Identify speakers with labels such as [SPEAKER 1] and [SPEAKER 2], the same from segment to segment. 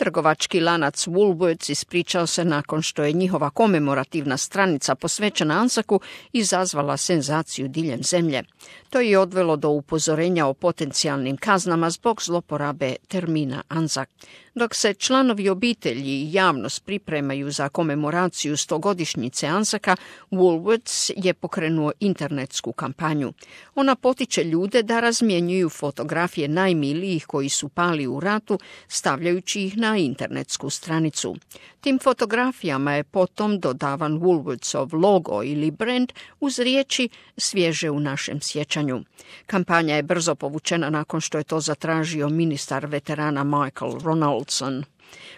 [SPEAKER 1] Trgovački lanac Woolworths ispričao se nakon što je njihova komemorativna stranica posvećena Anzacu izazvala senzaciju diljem zemlje. To je odvelo do upozorenja o potencijalnim kaznama zbog zloporabe termina Anzac. Dok se članovi obitelji i javnost pripremaju za komemoraciju 100-godišnjice Anzaca, Woolworths je pokrenuo internetsku kampanju. Ona potiče ljude da razmjenjuju fotografije najmilijih koji su pali u ratu, stavljajući ih na internetsku stranicu. Tim fotografijama je potom dodavan Woolworthsov logo ili brand uz riječi svježe u našem sjećanju. Kampanja je brzo povučena nakon što je to zatražio ministar veterana Michael Ronaldson.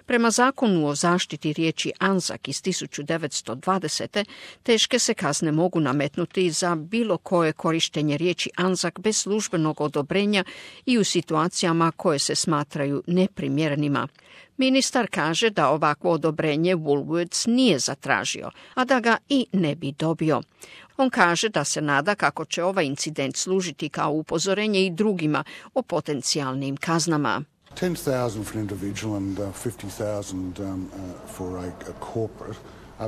[SPEAKER 1] Prema zakonu o zaštiti riječi Anzac iz 1920. teške se kazne mogu nametnuti za bilo koje korištenje riječi Anzac bez službenog odobrenja i u situacijama koje se smatraju neprimjerenima. Ministar kaže da ovakvo odobrenje Woolworths nije zatražio, a da ga i ne bi dobio. On kaže da se nada kako će ovaj incident služiti kao upozorenje i drugima o potencijalnim kaznama.
[SPEAKER 2] 10,000 for an individual and 50,000 for a corporate.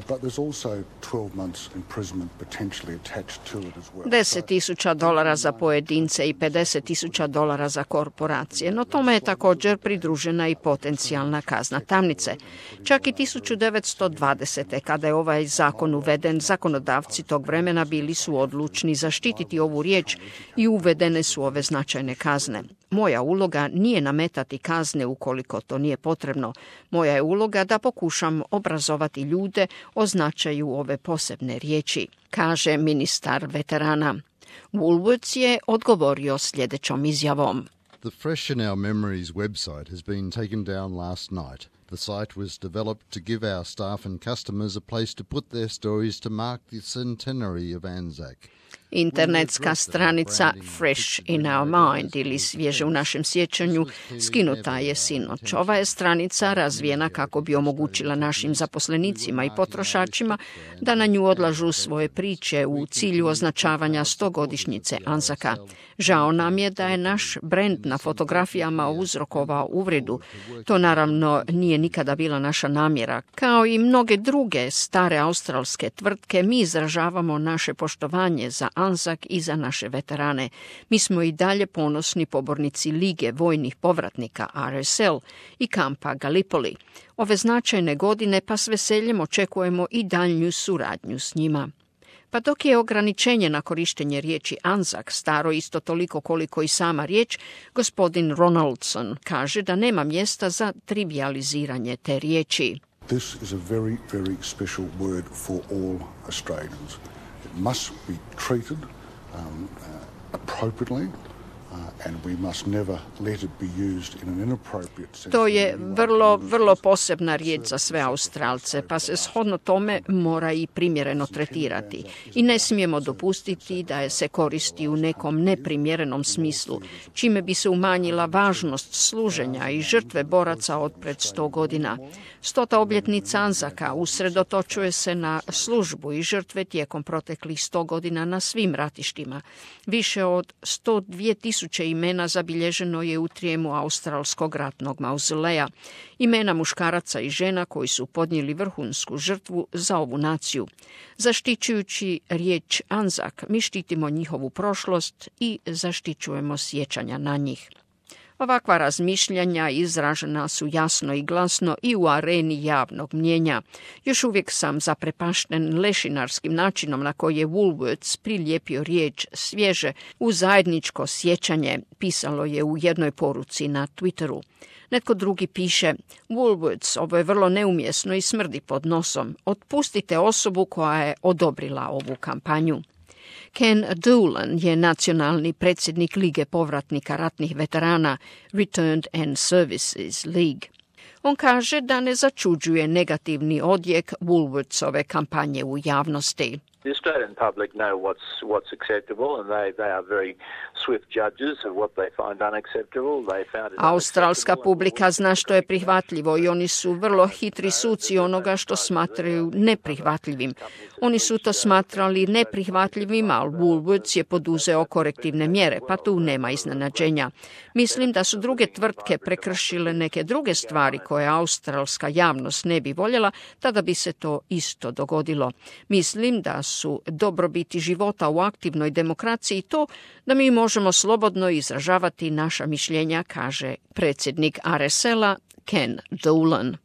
[SPEAKER 2] But there's also 12 months imprisonment potentially attached to it as well.
[SPEAKER 1] $10,000 za pojedince i $50,000 za korporacije, no tome je također pridružena i potencijalna kazna tamnice. Čak i 1920. kada je ovaj zakon uveden, zakonodavci tog vremena bili su odlučni zaštititi ovu riječ i uvedene su ove značajne kazne. Moja uloga nije nametati kazne ukoliko to nije potrebno. Moja je uloga da pokušam obrazovati ljude o značaju ove posebne riječi, kaže ministar veterana. Woolworths je odgovorio sljedećom izjavom.
[SPEAKER 3] The Fresh in Our Memories website has been taken down last night. The site was developed to give our staff and customers a place to put their stories to mark the centenary of Anzac.
[SPEAKER 1] Internetska stranica Fresh in Our Mind ili svježe u našem sjećanju skinuta je sinoć. Ova je stranica razvijena kako bi omogućila našim zaposlenicima i potrošačima da na nju odlažu svoje priče u cilju označavanja 100-godišnjice Anzaca. Žao nam je da je naš brend na fotografijama uzrokovao uvredu. To naravno nije nikada bila naša namjera. Kao i mnoge druge stare australske tvrtke, mi izražavamo naše poštovanje za Anzac i za naše veterane. Mi smo i dalje ponosni pobornici Lige vojnih povratnika RSL i kampa Gallipoli. Ove značajne godine pa s veseljem očekujemo i daljnju suradnju s njima. Pa dok je ograničenje na korištenje riječi Anzac staro isto toliko koliko i sama riječ, gospodin Ronaldson kaže da nema mjesta za trivializiranje te riječi.
[SPEAKER 2] This is a very, very special word for all Australians. It must be treated appropriately. And we must never let it be used in an inappropriate sense.
[SPEAKER 1] To je vrlo posebna riječ za sve Australce, pa se shodno tome mora i primjereno tretirati. I ne smijemo dopustiti da je se koristi u nekom neprimjerenom smislu, čime bi se umanjila važnost služenja i žrtve boraca od pred 100 godina. 100. obljetnica Anzaca usredotočuje se na službu i žrtve tijekom proteklih 100 godina na svim ratištima. Više od 102.000 imena zabilježeno je u trijemu australskog ratnog mauzoleja. Imena muškaraca i žena koji su podnijeli vrhunsku žrtvu za ovu naciju. Zaštićujući riječ Anzac, mi štitimo njihovu prošlost i zaštićujemo sjećanja na njih. Ovakva razmišljanja izražena su jasno i glasno i u areni javnog mnijenja. Još uvijek sam zaprepašten lešinarskim načinom na koji je Woolworths prilijepio riječ svježe u zajedničko sjećanje, pisalo je u jednoj poruci na Twitteru. Netko drugi piše, Woolworths, ovo je vrlo neumjesno i smrdi pod nosom. Otpustite osobu koja je odobrila ovu kampanju. Ken Doolan je nacionalni predsjednik Lige povratnika ratnih veterana Returned and Services League. On kaže da ne začuđuje negativni odjek Woolworthsove kampanje u javnosti.
[SPEAKER 4] The Australian public know what's acceptable, and they are very swift judges of what they find unacceptable. They found it
[SPEAKER 1] Australska publika zna što je prihvatljivo i oni su vrlo hitri suci onoga što smatraju neprihvatljivim. Oni su to smatrali neprihvatljivim, ali Woolworths je poduzeo korektivne mjere, pa tu nema iznenađenja. Mislim da su druge tvrtke prekršile neke druge stvari koje australska javnost ne bi voljela, tada bi se to isto dogodilo. Mislim da su dobrobiti života u aktivnoj demokraciji to da mi možemo slobodno izražavati naša mišljenja, kaže predsjednik RSL-a Ken Dolan.